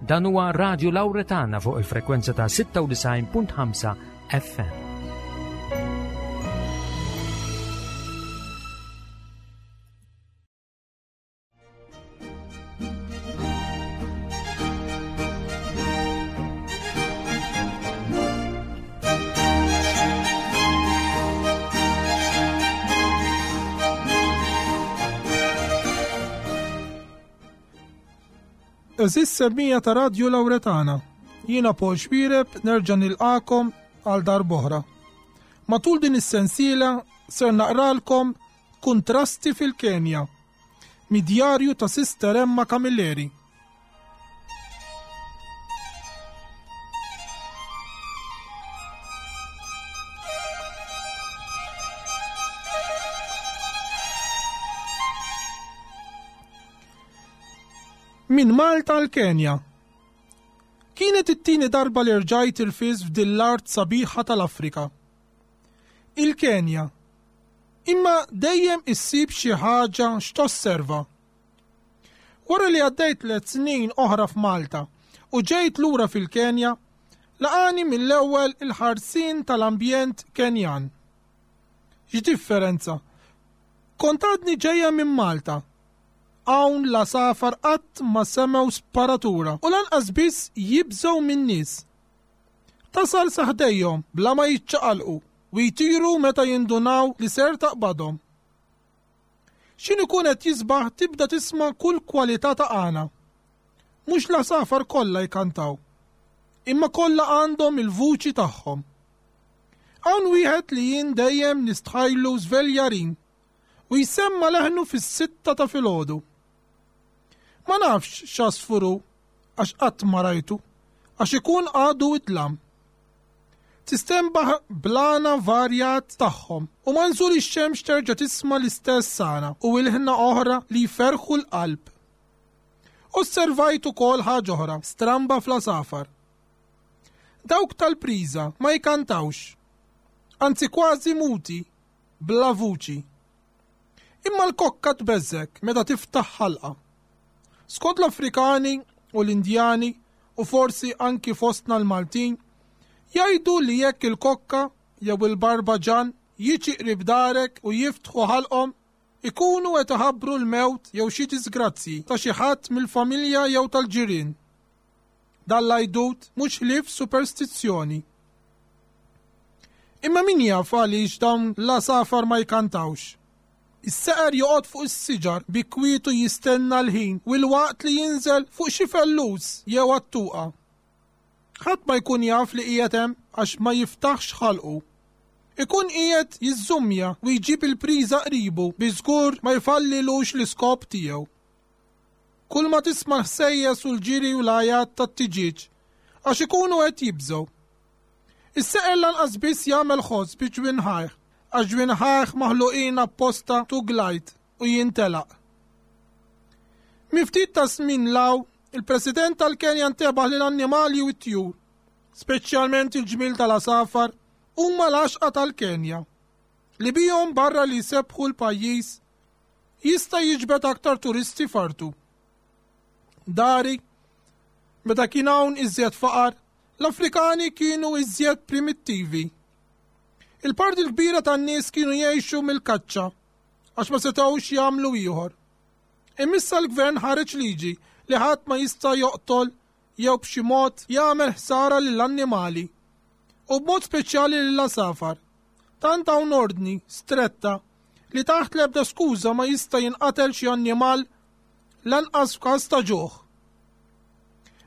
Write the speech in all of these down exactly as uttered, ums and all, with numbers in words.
Dan huwa Radio Lauretana fuq il-frekwenza ta' sitta u disgħin punt ħamsa F M. Għeżież semmiegħa ta' Radio Lauretana, jiena Paul Xuereb nerġa' nilqagħkom għal darb'oħra. Matul din is-sensiela ser naqralkom Kuntrasti fil-Kenja, mid-djarju ta' Sister Emma Camilleri. Min Malta l-Kenja. Kienet it-tieni darba li rġajt irfist f'din l-art sabiħa tal-Afrika. Il-Kenja. Imma dejjem issib xi ħaġa x'tosserva. Wara li għaddejt tliet snin oħra f'Malta u ġejt lura fil-Kenja, laqani mill-ewwel il-ħarsin tal-ambjent Kenjan. X'differenza? Kont għadni ġejja minn Malta. Hawn l-għasafar qatt ma semgħu sparatura u lanqas biss jibżgħu min-nies. Tasal sa ħdejhom bla ma jiċċaqalqu u jtiru meta jindunaw li ser taqbadhom. X'ħin ikun qed jisbaħ tibda tisma' kull kwalità ta' għana. Mhux l-għasafar kollha jkantaw, imma kollha għandhom il-vuċi tagħhom. Hawn wieħed li jien dejjem nistħajlu żveljarin u jsemma leħnu fis-sitta ta' filgħodu. Ma nafx x'għasfur hu għax qatt ma rajtu, għax ikun għadu id-dlam. Tistenbaħ bl-għana varjat tagħhom u ma' nżul ix-xemx terġa' tisma' l-istess għana u ilħna oħra li jferħu l-qalb. Osservajt ukoll ħaġa oħra stramba fl-għasafar. Dawk tal-priża ma jkantawx, anzi kważi muti, bla vuċi. Imma l-kokka tbeżżgħek meta tiftaħ ħalqa. Skont l-Afrikani u l-Indjani u forsi anki fostna l-Maltin, jgħidu li jekk il-kokka jew il-barbaġan jiġi qrib darek u jiftħu ħalqhom, ikunu qed iħabbru l-mewt jew xi disgrazzji ta' xi ħadd mill-familja jew tal-ġirien. Dan l-għajdut mhux ħlief superstizzjoni. Imma min jaf għaliex dawn l-għasafar ma jkantawx? Is-seqer joqgħod fuq is-siġar bi kwietu jistenna l-ħin u l-waqt li jinżel fuq xi fellus jew għattuqa. Ħadd ma jkun jaf li qiegħed hemm għax ma jiftaħx ħalqu. Ikun qiegħed jiżżumja u jġib il-priża qribu bi żgur ma jfallilux l-iskop tiegħu. Kull ma tisma' ħsejjes u l-ġiri u l-għajat tat-tiġieġ għax ikunu qed jibżgħu. Is-seqer lanqas biss jagħmel ħoss bi ġwinħajh għax ġwinħajh maħluqin apposta to glide u jintelaq. Minn ftit ta' snin 'l hawn, il-President tal-Kenja ntebaħ li l-annimali u t-tjur, speċjalment il-ġmil tal-għasafar, huma l-għaxqa tal-Kenja, li bihom barra li jsebbħu l-pajjiż jista' jiġbed aktar turisti f'artu. Dari, meta kien hawn iżjed faqar, l-Afrikani kienu iżjed primittivi. Il-parti l-kbira tan-nies kienu jgħixu mill-kaċċa għax ma setgħux jagħmlu ieħor. Imma issa l-gvern ħareġ liġi li ħadd ma jista' joqtol jew b'xi mod jagħmel ħsara lill-annimali u b'mod speċjali lill-għasafar. Tant hawn ordni stretta li taħt l-ebda skuża ma jista' jinqatel xi annimal, lanqas f'każ ta' ġuħ.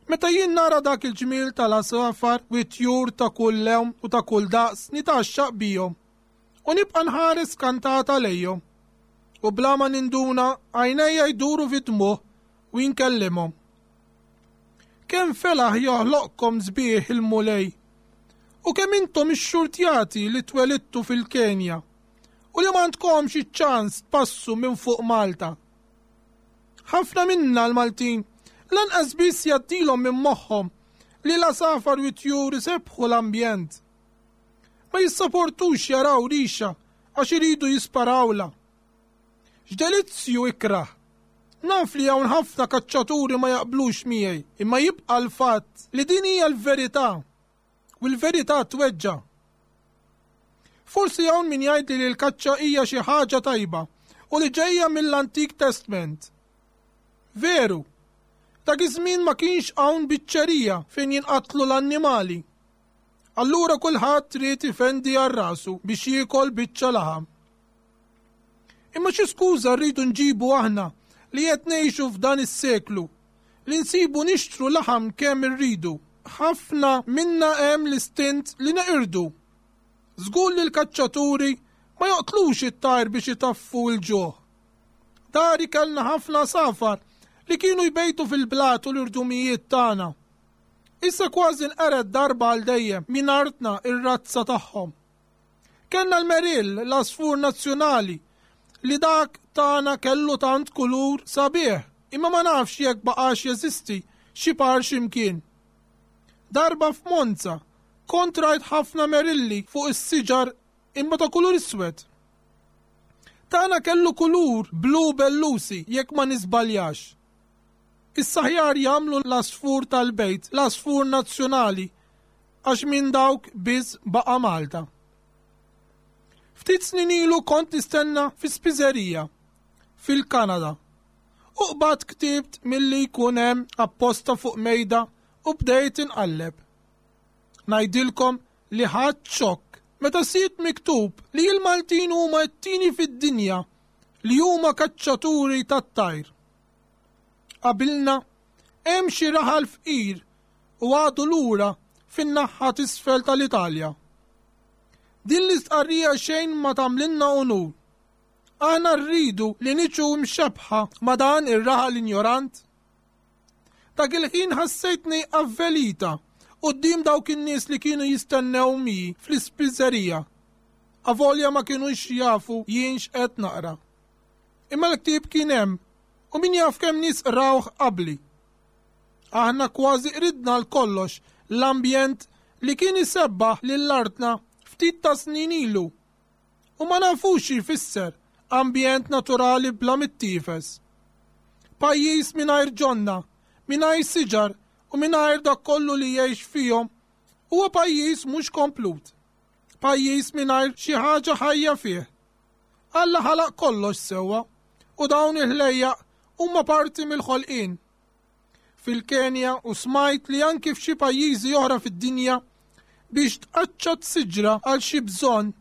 Meta jien nara dak il-ġmil tal-għasafar u tjur ta' kull lewn u ta' kull daqs, nitgħaxxaq bihom u nibqa' nħares kantata lejhom. U bla ma ninduna għajnejja jduru fid-dmugħ u nkellimhom. Kemm felaħ joħloqkom sbieħ il-Mulej u kemm intom ixxurtjati li twelidtu fil-Kenja u li m'għandkomx iċ-ċans tpassu minn fuq Malta. Ħafna minna l-Maltin lanqas biss jgħaddilhom minn moħħhom li l-għasafar u tjur isebbħu l-ambjent. Ma jissaportux jaraw rixa għax iridu jisparawla. X'delizzju ikrah! Naf li hawn ħafna kaċċaturi ma jaqblux miegħi, imma jibqa' l-fatt li din hija l-verità u l-verità tweġġa'. Forsi hawn min jgħid li l-kaċċa hija xi ħaġa tajba u li ġejja mill-Antik Testament. Veru, dak iż-żmien ma kienx hawn biċċerija fejn jinqatlu l-annimali. Allura kulħadd ried ifendi għal rasu biex jiekol biċċa laħam. Imma xi skuża rridu nġibu aħna li qed ngħixu f'dan is-seklu li nsibu nixtru laħam kemm irridu. Ħafna minna hemm l-istint li neqirdu. Żgur li l-kaċċaturi ma joqtlux it-tajr biex itaffu l-ġuħ. Dari kellna ħafna għasafar li kienu jbejtu fil-blat u l-irdumijiet tagħna. Issa kważi nqered darba għal dejjem minn artna ir-razza tagħhom. Kellna l-merill, l-għasfur nazzjonali, li dak tagħna kellu tant kulur sabiħ, imma ma nafx jekk baqax jeżisti xi par x'imkien. Darba f'Monza kont rajt ħafna merilli fuq is-siġar imma ta' kulur iswed. Tagħna kellu kulur blu bellusi jekk ma nisbaljax. Issa aħjar jagħmlu l-għasfur tal-bejt, l-għasfur nazzjonali, għax minn dawk biss baqa' Malta. Ftit snin ilu kont nistenna fi spiżerija fil-Kanada u qbadt ktieb milli jkun hemm apposta fuq mejda u bdejt inqalleb. Ngħidilkom li ħadt xokk meta sibt miktub li l-Maltin huma t-tieni fid-dinja li huma kaċċaturi tat-tajr. Qabilna hemm xi raħal fqir u għadu lura fin-naħa t'isfel tal-Italja. Din l-istqarrija xejn ma tagħmlilna onur. Aħna rridu li niġu mxebbha ma' dan ir-raħal injorant. Dak il-ħin ħassejtni avvelita quddiem dawk in-nies li kienu jistennew miegħi fl-ispiżerija. Avolja ma kienux jafu jien x'qed naqra. Imma l-ktieb kien hemm u min jaf kemm nies qrawh qabli. Aħna kważi qridna għal kollox l-ambjent li kien isebbaħ lil artna ftit ta' snin ilu. U ma nafux xi jfisser ambjent naturali bla mittiefes. Pajjiż mingħajr ġonna, mingħajr siġar u mingħajr dak kollu li jgħix fihom huwa pajjiż mhux komplut. Pajjiż mingħajr xi ħaġa ħajja fih. Alla ħalaq kollox sewwa u dawn il-ħlejjaq huma parti mill-ħolqien. Fil-Kenja u smajt li anki f'xi pajjiżi oħra fid-dinja biex tqaċċat siġra għal xi bżonn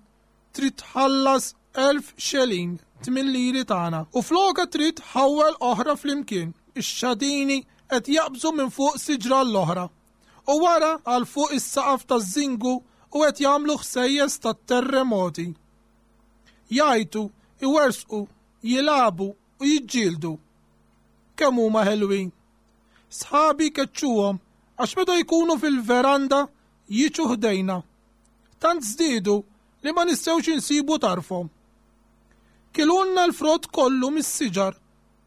trid tħallas elf xelin tmien liri tagħna u floka trid tħawwel oħra flimkien. Ix-xadini qed jaqbżu minn fuq siġra l-oħra u wara għal fuq is-saqaf taż-żingu u qed jagħmlu ħsejjes tat-terremoti. Jgħajtu, iwersqu, jilagħbu u jiġġieldu. Kemm huma ħelwin. Sħabi keċċuhom għax meta jkunu fil-veranda jiġu ħdejna. Tant żdiedu li ma nistgħux insibu tarfhom. Kilulna l-frott kollu mis-siġar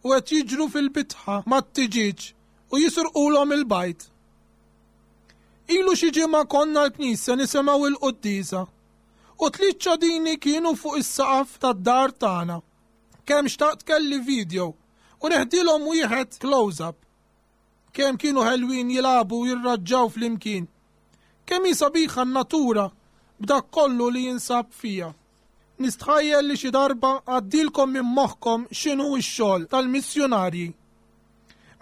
u qed jiġru fil-bitħa mat-tiġieġ u jisirqulhom il-bajd. Ilu xi ġimgħa konna l-knisja nisimgħu il-quddiesa u tliet ċadini kienu fuq is-saqaf tad-dar tagħna. Kemm xtaqt kelli video u neħdilhom wieħed close-up. Kemm kienu ħelwin jilagħbu u jirraġġaw flimkien. Kemm hi sabiħa n-natura b'dak kollu li jinsab fija. Nistħajjel li xi darba għaddilkom minn moħħkom x'inhu x-xogħol tal-missjunarji.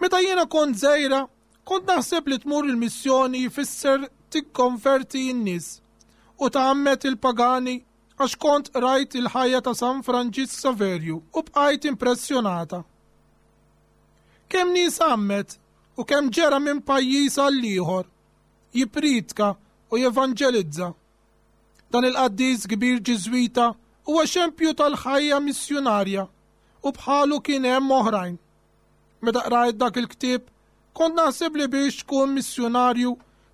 Meta jiena kont żgħira, kont naħseb li tmur il-missjoni jfisser tikkonverti n-nies u tgħammed il-pagani għax kont rajt il-ħajja ta' San Franġisk Saverju u bqajt impressjonata. Kemm nies għammed u kemm ġera minn pajjiż għal ieħor, jippriedka u jevanġelizza. Dan il-qaddis kbir Ġiżwita huwa xempju tal-ħajja missjunarja u bħalu kien hemm oħrajn. Meta qrajt dak il-ktieb, kont naħseb li biex tkun missjunarju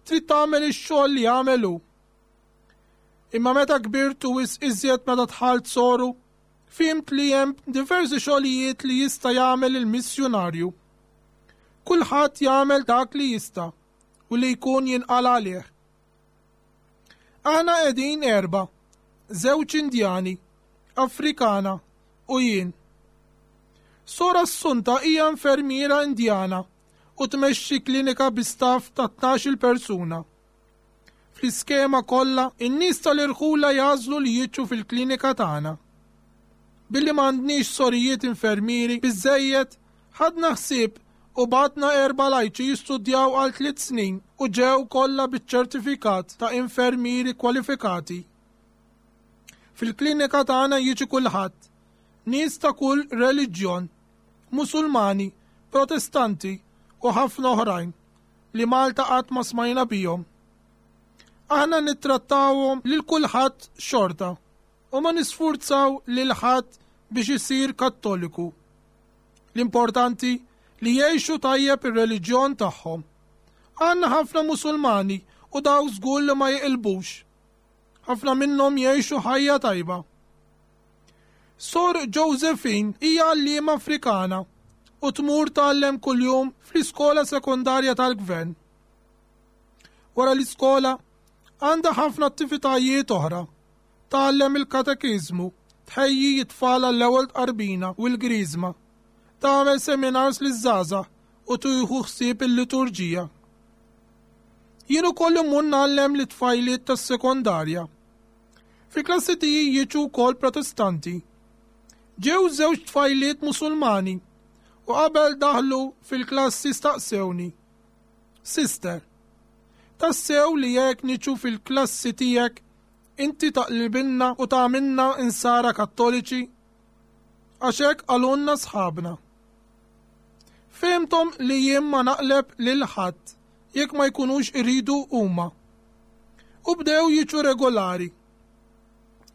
trid tagħmel ix-xogħol li għamel hu. Imma meta kbirt u wisq iżjed meta dħalt soru, fhimt li hemm diversi xogħlijiet li jista' jagħmel il-missjunarju. Kulħadd jagħmel dak li jista' u li jkun jinqala għalih. Aħna qegħdin erba', żewġ Indjani, Afrikana u jien. Sor Assunta hija infermiera Indjana u tmexxi klinika bi staff ta' tnax-il persuna. Fl-iskema kollha, in-nies tal-irħula jagħżlu li jiġu fil-klinika tagħna. Billi m'għandniex sorijiet infermieri biżejjed, ħadna ħsieb u batna erba' lajċi jistudjaw għal tliet snin u ġew kollha biċ-ċertifikat ta' infermieri kwalifikati. Fil-klinika tagħna jiġi kulħadd, nies ta' kull reliġjon, Musulmani, Protestanti u ħafna oħrajn li Malta qatt ma smajna bihom. Aħna nittrattawhom lil kulħadd xorta u ma nisfurzaw lil ħadd biex isir Kattoliku. L-importanti li jgħixu tajjeb ir-reliġjon tagħhom. Għandna ħafna Musulmani u daw żgur li ma jeqilbux. Ħafna minnhom jgħixu ħajja tajba. Sor Josephine hija għalliema Afrikana u tmur tgħallem kuljum fl-iskola sekondarja tal-gvern. Wara l-iskola għandha ħafna attivitajiet oħra. Tgħallem il-katekiżmu, tħejji t-tfal għall-ewwel tqarbina u l-griżma, tagħmel seminars liż-żgħażagħ u tieħu ħsieb il-liturġija. Jien ukoll immur ngħallem lit-tfajliet tas-sekondarja. Fi klassi tiegħi jiġu wkoll Protestanti. Ġew żewġ tfajliet Musulmani u qabel daħlu fil-klassi staqsewni: Sister, tassew li jekk niġu fil-klassi tiegħek inti taqlibilna u tagħmilna insara Kattoliċi? Għax hekk qalulna sħabna. Fehmthom li jien ma naqleb lil ħadd jekk ma jkunux iridu huma. U bdew jiġu regolari.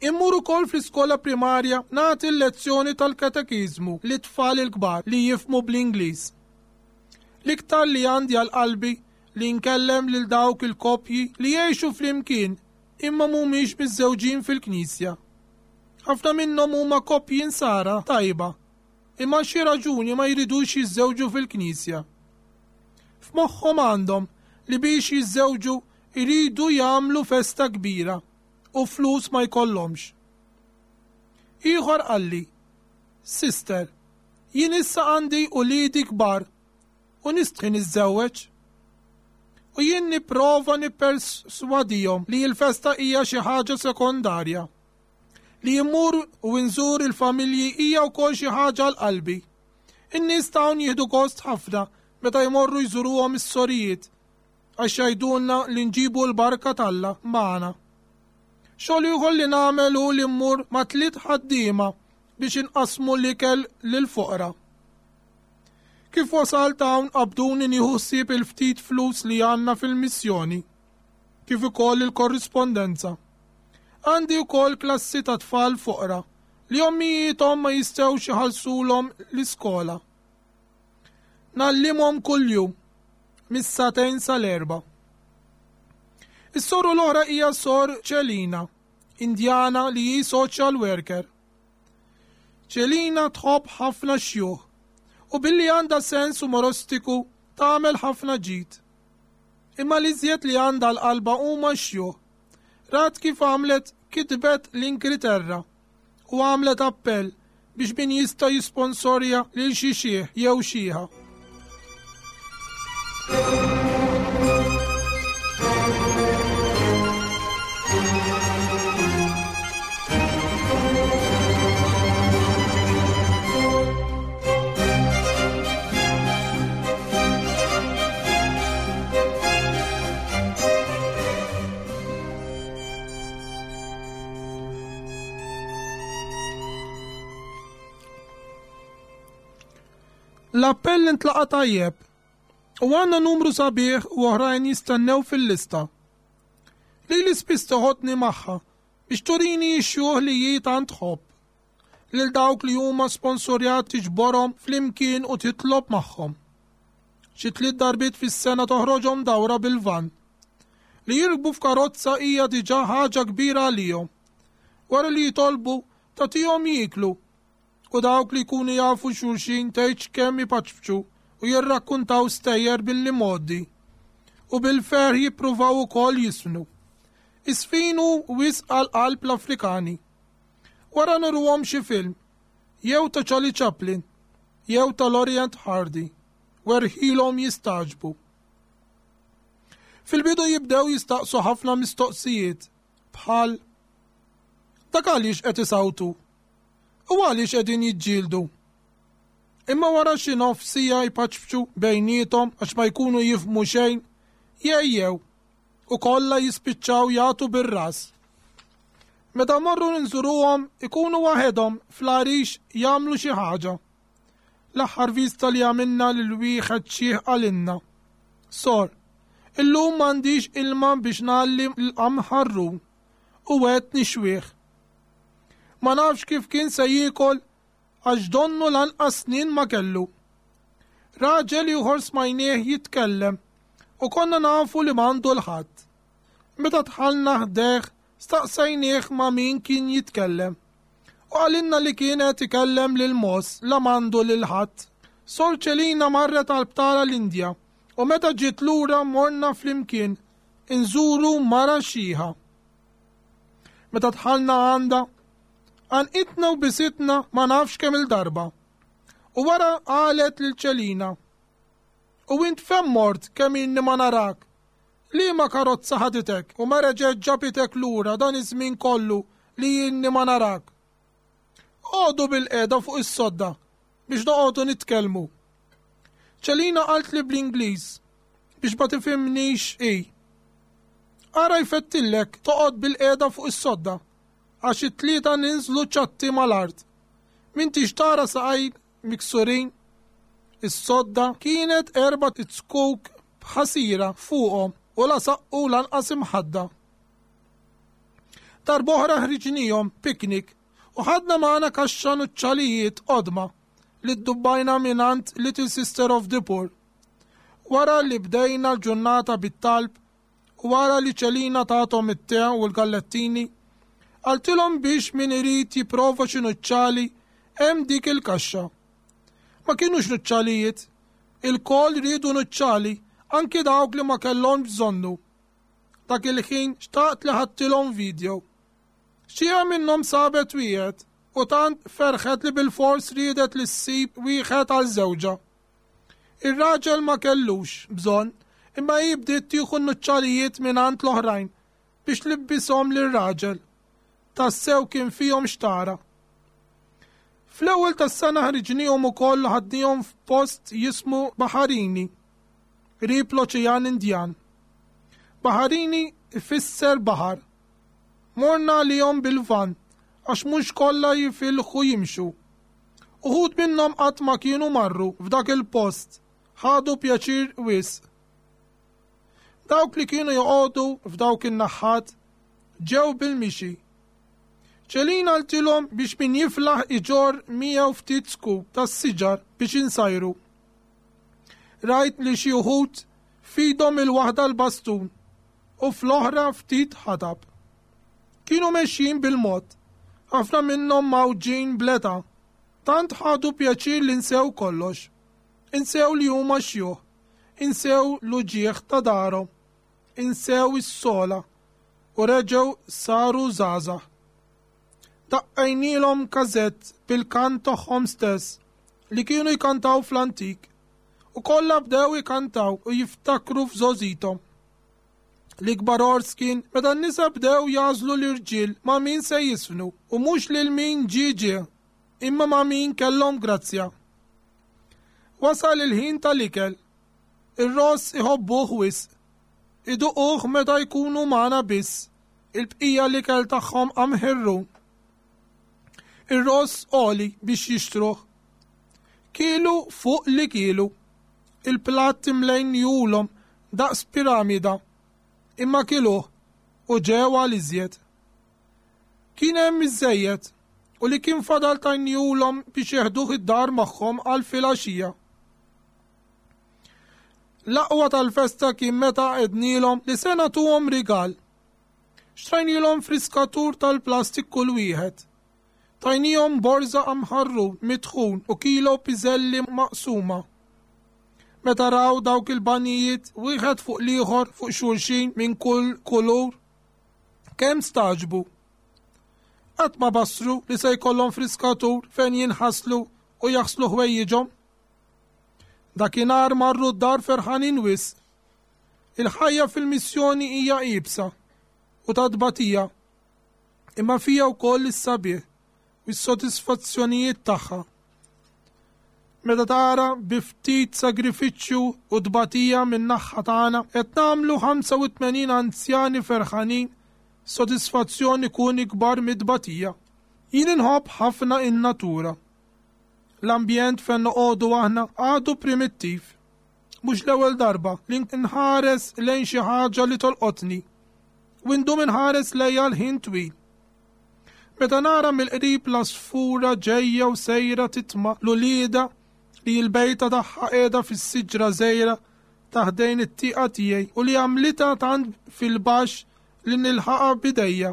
Immur ukoll fl-iskola primarja nagħti l-lezzjoni tal-katekiżmu lit-tfal il-kbar li jifhmu bl-Ingliż. L-iktar li għandi għal qalbi li nkellem lil dawk il-koppji li jgħixu flimkien imma mhumiex miżżewġin fil-knisja. Ħafna minnhom huma koppji insara tajba, imma xi raġuni ma jridux jiżżewġu fil-knisja. F'moħħhom għandhom li biex jiżżewġu jridu jagħmlu festa kbira u flus ma jkollhomx. Ieħor qalli: Sister, jien issa għandi uliedi kbar u nistħi niżżewweġ. U jien nipprova nipperswadihom li l-festa hija xi ħaġa sekondarja. Li jimmur u nżur il-familji hija wkoll xi ħaġa għal qalbi. In-nies hawn jieħdu gost ħafna meta jmorru jżuruhom is-sorijiet għax jgħidulna li nġibu l-barka t'Alla magħna. Xogħol ieħor li nagħmel hu li mmur ma' tliet ħaddiema biex inqasmu l-ikel lill-foqra. Kif wasalt hawn qabduni nieħu ħsieb il-ftit flus li għandna fil-missjoni, kif ukoll il-korrispondenza. Għandi wkoll klassi ta' tfal foqra li ommijiethom ma jistgħux iħallsulhom l-iskola. Ngħallimhom kuljum mis-sagħtejn sal-erba'. Is-soru l-oħra hija Sor Ċelina, Indjana li hi social worker. Ċelina tħobb ħafna xjuħ u billi għandha sens umoristiku tagħmel ħafna ġid. Imma li żjed li għandha l-qalba huma xjuħ. Rat kif għamlet kitbet l-Ingilterra u għamlet appell biex min jista' jisponsorja lil xi xiħ jew xiħa. L-appell intlaqa tajjeb u għandna numru sabiħ u oħrajn jistennew fil-lista. Lili spiss toħodni magħha biex turini x-xjuħ li hi tant tħobb. Lil dawk li huma sponsorjati tiġborhom flimkien u titlob magħhom. Xi tliet darbiet fis-sena toħroġhom dawra bil-van. Li jirkbu f'karozza hija diġà ħaġa kbira għalihom. Wara li jitolbu tagħtihom jieklu u dawk li jkunu jafu xulxin tgħidx kemm ipaċċu u jirrakkuntaw stejjer billi modi u bil-ferħ jippruvaw ukoll jisfnu. Isfinu wisq għal qalb l-Afrikani. Wara nurruhom xi film jew ta' Charlie Chaplin jew tal-Orient Hardy, werħilhom jistagħġbu. Fil-bidu jibdew jistaqsu ħafna mistoqsijiet bħal dak għaliex qed isawtu u għaliex qegħdin jiġġieldu. Imma wara xi nofs siegħa jpaċpċu bejniethom għax ma jkunu jifhmu xejn, jgħejjew u kollha jispiċċaw jagħtu bir-ras. Meta morru nżuruhom ikunu waħedhom fl-għarix jagħmlu xi ħaġa. L-aħħar vista li għamilna lil wieħed xiħ qalilna. Sor, illum m'għandix ilma biex ngħalli l-qamħarrun u qed nixwih. Ma nafx kif kien se jiekol għax donnu lanqas snin ma kellu. Raġel ieħor smajnieh jitkellem u konna nafu li m'għandu 'l ħadd. Meta dħalna ħdejh staqsajnieh ma' min kien jitkellem. U qalilna li kienet ikellem lil mogħoż la m'għandu lil ħadd. Sor Ċelina marret għal btala l-Indja u meta ġiet lura morna flimkien inżuru mara xiħa. Meta dħalna għandha, għannqitna u bisitna ma nafx kemm il-darba. U wara qalet lil Ċelina. U int fejn mort kemm inni ma narak? Liema karozza ħaditek u ma reġgħet ġabitek lura dan iż-żmien kollu li inni ma narak. Oqogħdu bilqiegħda fuq is-sodda biex noqogħdu nitkellmu. Ċelina qaltli bl-Ingliż biex ma tifhimnix i. Ara jfettillek toqgħod bilqiegħda fuq is-sodda għax it-tlieta ninżlu ċatti mal-art. M'intix tara saqaj miksurin. Is-sodda kienet erba' zkuk b'ħasira fuqhom u la saqqu lanqas imħadda. Darb'oħra ħriġnihom piknik u ħadna magħna kaxxa nuċċalijiet qodma li ddubbajna mingħand Little Sister of the Poor. Wara li bdejna l-ġurnata bit-talb u wara li Ċelina tathom it-te u l-gallettini, qaltilhom biex min irid jipprova xi nuċċali hemm dik il-kaxxa. Ma kienux nuċċalijiet, ilkoll riedu nuċċali, anki dawk li ma kellhom bżonnu. Dak il-ħin xtaqt li ħadtilhom video. Xi minnhom sabet wieħed u tant ferħet li bil-fors riedet li ssib wieħed għal żewġha. Ir-raġel ma kellux bżonn, imma hi bdiet tieħu n-nuċċalijiet mingħand l-oħrajn biex tlibbishom lir-raġel. Tassew kien fihom xtara. Fl-ewwel tas-sena ħriġnihom ukoll ħadnihom f'post jismu Baħarini, qrib l-Oċean Indjan. Baħarini ifisser baħar. Morna għalihom bil-van għax mhux kollha jifilħu jimxu. Uħud minnhom qatt ma kienu marru f'dak il-post, ħadu pjaċir wisq. Dawk li kienu joqogħdu f'dawk in-naħat ġew bil-mixi. Ċelina qaltilhom biex min jiflaħ iġorr miegħu ftit zkuk tas-siġar biex insajru. Rajt li xi wħud f'idhom il-waħda l-bastun u fl-oħra ftit ħatab. Kienu mexjin bil-mod, ħafna minnhom mgħawġin bl-età. Tant ħadu pjaċir li nsew kollox. Insew li huma xjuħ, insew l-uġigħ ta' darhom, insew is-sogħla u reġgħu saru żgħażagħ. Daqqejnielhom każett bil-kant tagħhom stess li kienu jkantaw fl-antik u kollha bdew ikantaw u jiftakru f'żgħożithom. L-ikbar għors kien meta n-nisa bdew jagħżlu l-irġiel ma' min se jiżfnu u mhux lil min ġie ġie, imma ma' min kellhom grazzja. Wasal il-ħin tal-ikel. Ir-ross iħobbuh wisq. Iduquh meta jkunu magħna biss. Il-bqija l-ikel tagħhom qamħirru. Ir-ross għoli biex jixtruh. Kielu fuq li kielu. Il-platt imlejniehulhom daqs piramida. Imma kiluh u ġew għal iżjed. Kien hemm iżżejjed u li kien fadal tajniehulhom biex jeħduh id-dar magħhom għal filgħaxija. L-aqwa tal-festa kien meta għednielhom li se nagħtuhom rigal. Xtrajnielhom friskatur tal-plastik kull wieħed. Tajnihom borża qamħarru mitħun u kilo piżelli maqsuma. Meta raw dawk il-banijiet wieħed fuq l-ieħor fuq xulxin minn kull kulur, kemm stagħġbu. Qatt ma basru li se jkollhom friskatur fejn jinħaslu u jaħslu ħwejjiġhom. Dakinhar marru d-dar ferħanin wisq. Il-ħajja fil-missjoni hija iebsa u ta' tbatija, imma fija wkoll is-sabiħ u s-sodisfazzjonijiet tagħha. Meta tara bi ftit sagrifiċċju u tbatija minn naħa tagħna qed nagħmlu ħamsa u tmenin anzjani ferħanin, sodisfazzjoni kun ikbar mid-tbatija. Jien inħobb ħafna in-natura. L-ambjent fejn noqogħdu aħna għadu primittiv. Mhux l-ewwel darba li nħares lejn xi ħaġa li tolqotni u ndum inħares lejha l-ħin twil. Meta nara mill-qrib l-għasfura ġejja u sejra titma' l-ulieda li l-bejta tagħha qiegħda fis-siġra żgħira ta' ħdejn it-tieqa tiegħi u li għamlitha tant fil-baxx li nilħaqha b'idejja.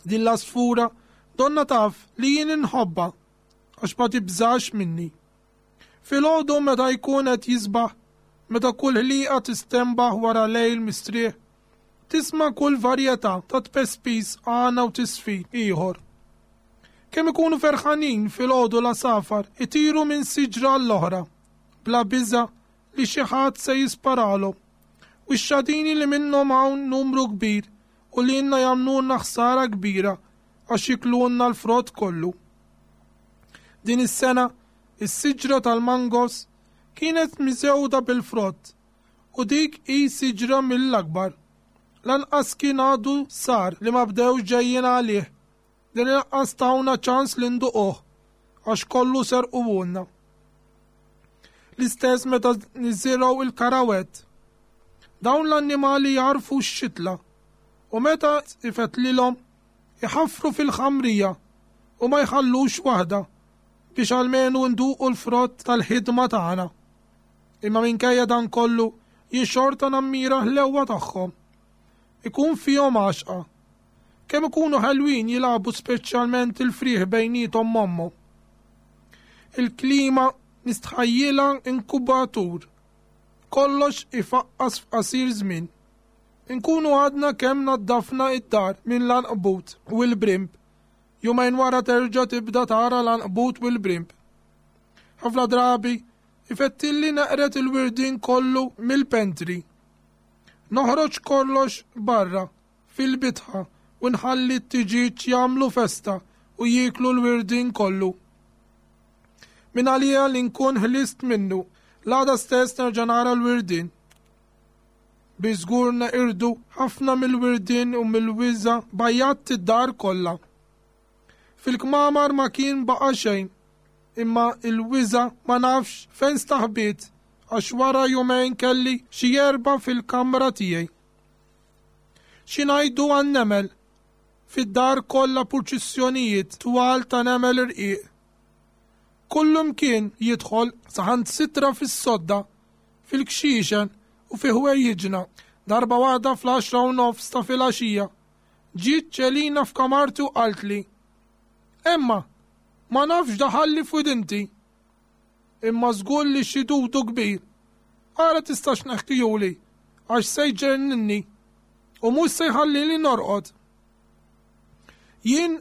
Din l-għasfura donna taf li jien inħobbha għax ma tibżax minni. Filgħodu meta jkun qed jisbaħ, meta kull ħliqa tistembaħ wara lejl mistrieħ, tisma' kull varjetà ta' tpespis għana u tisfid ieħor. Kemm ikunu ferħanin filgħodu l-għasafar itiru minn siġra l-oħra, bla biża' li xi ħadd se jisparalhom. U x-xadini li minnhom hawn numru kbir u li lilna jagħmlulna ħsara kbira għax jiklulna l-frott kollu. Din is-sena, is-siġra tal-mangos kienet miżewda bil-frott u dik hi siġra mill-akbar. Lanqas kien għadu sar li ma bdewx ġejjin għalih. Din lanqas tawna ċans li nduquh għax kollu serquhulna. L-istess meta niżirgħu il-karawett. Dawn l-annimali jarfu x-xitla u meta ifetlilhom iħaffru fil-ħamrija u ma jħallux waħda biex almenu nduqu l-frott tal-ħidma tagħna. Imma minkejja dan kollu jien xorta nammira ħlewwa tagħhom. Ikun fihom għaxqa. Kemm ikunu ħelwin jilagħbu speċjalment il-frieħ bejniethom mommu. Il-klima nistħajjilha inkubatur. Kollox ifaqqas f'qasir żmien. Inkunu għadna kemm naddafna id-dar minn l-anqbut u l-brimb. Jumejn wara terġa' tibda tara l-anqbut u l-brimb. Ħafna drabi ifettilli neqret il-wirdin kollu mill-pentri. Noħroġ kollox barra fil-bitħa u nħalli t-tiġiġ jagħmlu festa u jieklu l-wirdin kollu. Min għalija li nkun ħlist minnu, l-għada stess nerġa' nara l-wirdin. Bi żgur neqirdu ħafna mill-wirdin u mill-wiża bajjatt id-dar kollha. Fil-kmamar ma kien baqa' xejn, imma il-wiża ma nafx fejn staħbiet għax wara jumejn kelli xi erba' fil-kamra tiegħi. Xi ngħidu għan-nemel? Fid-dar kollha purċissjonijiet twal ta' nemel irqiq. Kullum kien jidħol saħansitra fis-sodda, fil-kxixen u fi ħwejjiġna. Darba waħda fl-għaxra u nofs ta' filgħaxija, ġiet Ċelina f'kamarti u qaltli: Emma, ma nafx daħalli f'widinti. Imma żgur li xi dudu kbir. Ara tistax neħkijuli, għax se jġenninni u mhux se jħallili norqod. Jien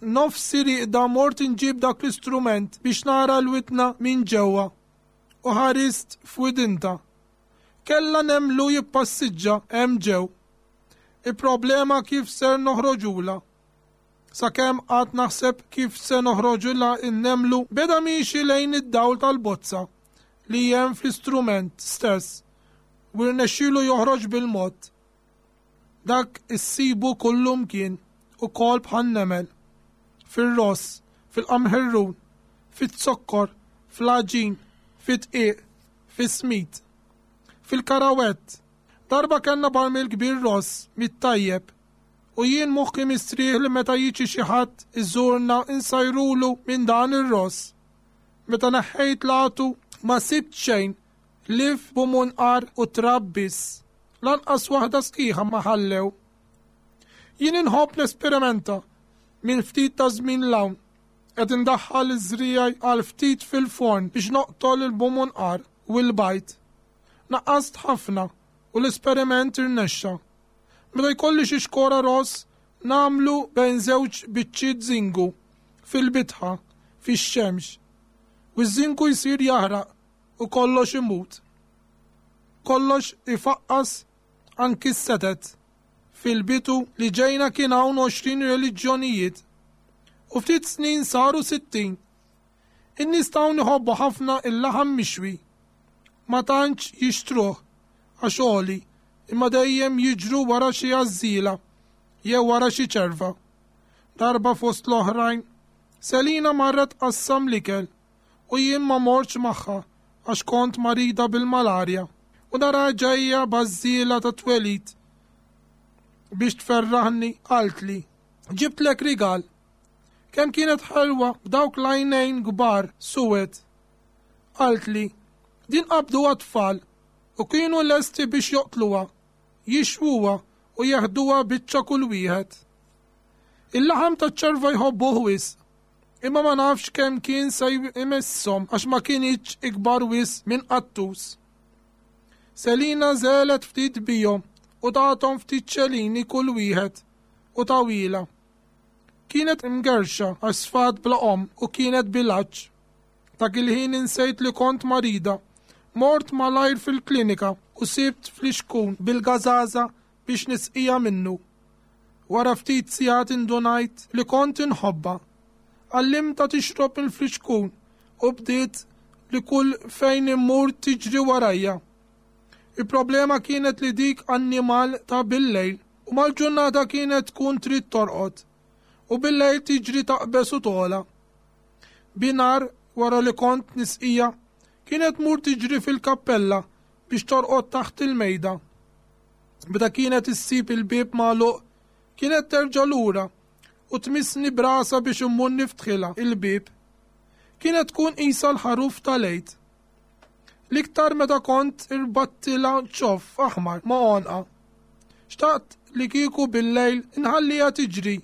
nofsi riqda mort inġib dak l-istrument biex nara l-widna minn ġewwa u ħarist f'widinta. Kella nemlu jippassiġġa hemm ġew. Il-problema kif ser noħroġula. Sakemm qatt naħseb kif se noħroġula n-nemlu beda miexi lejn id-dawl tal-bozza li hemm fl-istrument stess u rnexxielu joħroġ bil-mod. Dak issibu kullum kien ukoll bħan-nemel. Fir-ross, fil-qamħirrun, fit-zokkor, fl-għaġin, fit-dqiq, fis-smid, fil-karawett. Darba kellna barmil kbir ross mit-tajjeb u jien moħħi mistrieħ li meta jiġi xi ħadd iżurna insajrulu minn dan ir-ross. Meta neħħejt l-għatu ma sibt xejn lif b'munqar u trab biss. Lanqas waħda sħiħa ma ħallew. Jien inħobb nesperimenta minn ftit ta' żmien l-hawn. Qed indaħħal iż-żriegħi għal ftit fil-forn biex noqtol il-bumunqar u l-bajd. Naqqast ħafna u l-esperiment irnexxa. Meta jkolli xi xkora ross nagħmlu bejn żewġ biċċiet żingu fil-bitħa fix-xemx. U ż-żingu jsir jaħraq u kollox imut. Kollox ifaqqas anki s-setet. Fil-bitu li ġejna kien hawn għoxrin reliġjonijiet u ftit snin saru sittin. In-nies hawn iħobbu ħafna il-laħam mixwi. Ma tantx jixtruh għax għoli, imma dejjem jiġru wara xi għażżiela jew wara xi ċerva. Darba fost l-oħrajn, Selina marret tqassam l-ikel u jien ma mortx magħha għax kont marida bil-malarja. U nara ġejja bażżiela ta' twelid biex tferraħni, qaltli, ġibtlek rigal. Kemm kienet ħelwa b'dawk l-għajnejn kbar suwed. Qaltli, din qabduha tfal u kienu lesti biex joqtluha, jixwuha u jeħduha biċċa kull wieħed. Il-laħam taċ-ċerva jħobbuh wisq, imma ma nafx kemm kien se jmisshom għax ma kienx ikbar wisq minn qattus. Selina żelet ftit bihom u tathom ftit ċelini kull wieħed u tawila. Kienet imgerxa għax sfat bla omm u kienet bil-għatx. Dak il-ħin insejt li kont marida. Mort malajr fil-klinika u sibt flixkun bil-gażaża biex nisqija minnu. Wara ftit sigħat indunajt li kont inħobba. Għallimtha tixrob il-flixkun u bdiet li kull fejn immur tiġri warajja. Il-problema kienet li dik annimal ta' bil-lejl u mal-ġurnata kienet tkun trid torqod u bil-lejl tiġri taqbes u tola. Binar wara li kont nisqija kienet mur tiġri fil-kappella biex torqod taħt il-mejda. Meta kienet issib il-bieb magħluq kienet terġa' lura u tmissni brasa biex immur niftħilha il-bieb. Kienet tkun qisha l-ħaruf tal-Għid. L-iktar meta kont irbattilha ċoff aħmar ma' għonqa. Xtaqt li kieku bil-lejl inħalliha tiġri,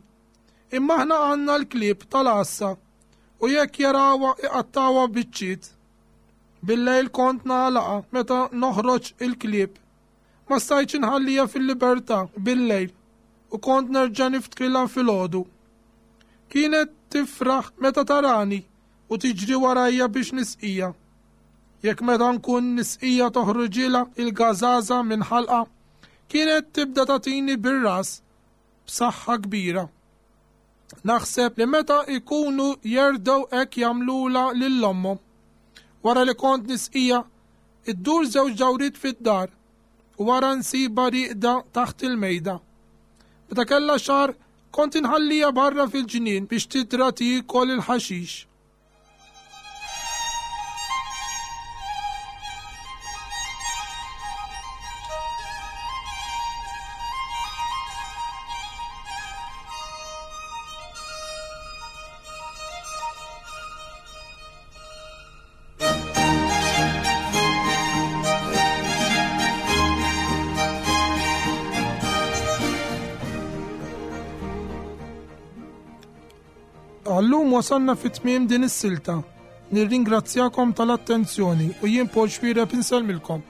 imma aħna għandna l-klieb tal-għassa u jekk jarawha iqattawha biċċiet. Bil-lejl kont nagħlaqha meta noħroġ il-klieb. Ma stajtx inħalliha fil-libertà bil-lejl u kont nerġa' niftħilha filgħodu. Kienet tifraħ meta tarani u tiġri warajja biex nisqija. Jekk meta nkun nisqija toħroġilha il-gażaża minn ħalqa, kienet tibda tagħtini bir-ras b'saħħa kbira. Naħseb li meta ikunu jerdew hekk jagħmlulha lil ommhom. Wara li kont nisqija, iddur żewġ dawriet fid-dar u wara nsiba rieqda taħt il-mejda. Meta kellha xahar, kont inħallija barra fil-ġnien biex tidra tiekol il-ħaxix. Għallum wasalna fi tmiem din is-silta. Nirringrazzjakom tal-attenzjoni u jien Paul Xuereb insellmilkom.